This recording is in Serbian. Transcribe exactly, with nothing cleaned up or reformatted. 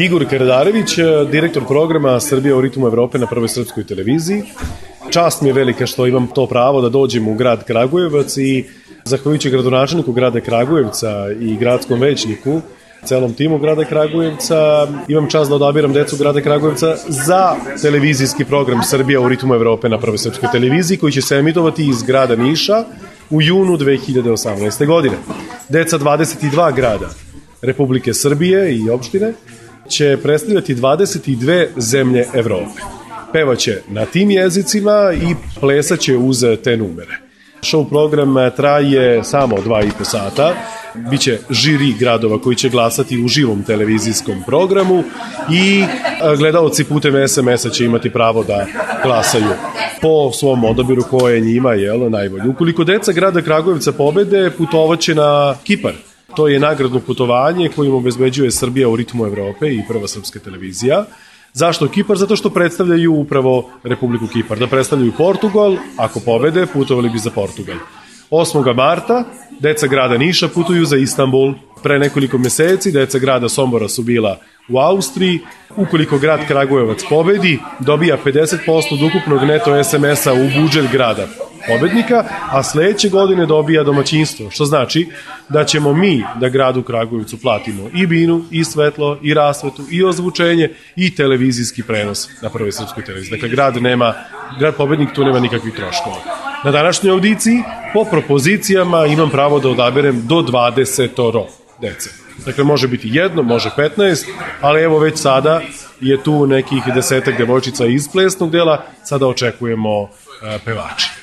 Igor Karadarević, direktor programa Srbija u ritmu Evrope na Prvoj srpskoj televiziji. Čast mi je velika što imam to pravo da dođem u grad Kragujevac i zahvaljujući gradonačelniku grada Kragujevca i gradskom većniku, celom timu grada Kragujevca, imam čast da odabiram decu grada Kragujevca za televizijski program Srbija u ritmu Evrope na Prvoj srpskoj televiziji koji će se emitovati iz grada Niša u junu dve hiljade osamnaeste. godine. Deca dvadeset dva grada Republike Srbije i opštine će predstavljati dvadeset dve zemlje Evrope. Pevaće na tim jezicima i plesaće uz te numere. Show program traje samo dva i po sata. Biće žiri gradova koji će glasati u živom televizijskom programu i gledaoci putem es em es-a će imati pravo da glasaju po svom odabiru koje njima je najbolje. Ukoliko deca grada Kragujevca pobede, putovaće na Kipar. To je nagradno putovanje kojim obezbeđuje Srbija u ritmu Evrope i Prva srpska televizija. Zašto Kipar? Zato što predstavljaju upravo Republiku Kipar. Da predstavljaju Portugal, ako pobede, putovali bi za Portugal. osmog marta deca grada Niša putuju za Istanbul. Pre nekoliko meseci deca grada Sombora su bila u Austriji. Ukoliko grad Kragujevac pobedi, dobija pedeset posto od ukupnog neto es em es-a u budžet grada pobednika, a sledeće godine dobija domaćinstvo, što znači da ćemo mi da gradu Kragujevcu platimo i binu, i svetlo, i rasvetu, i ozvučenje, i televizijski prenos na Prvoj srpskoj televiziji. Dakle, grad nema, grad pobednik tu nema nikakvih troškova. Na današnjoj audiciji, po propozicijama, imam pravo da odaberem do dvadesetoro dece. Dakle, može biti jedno, može petnaest, ali evo već sada je tu nekih desetak devojčica iz plesnog dela, sada očekujemo uh, pevači.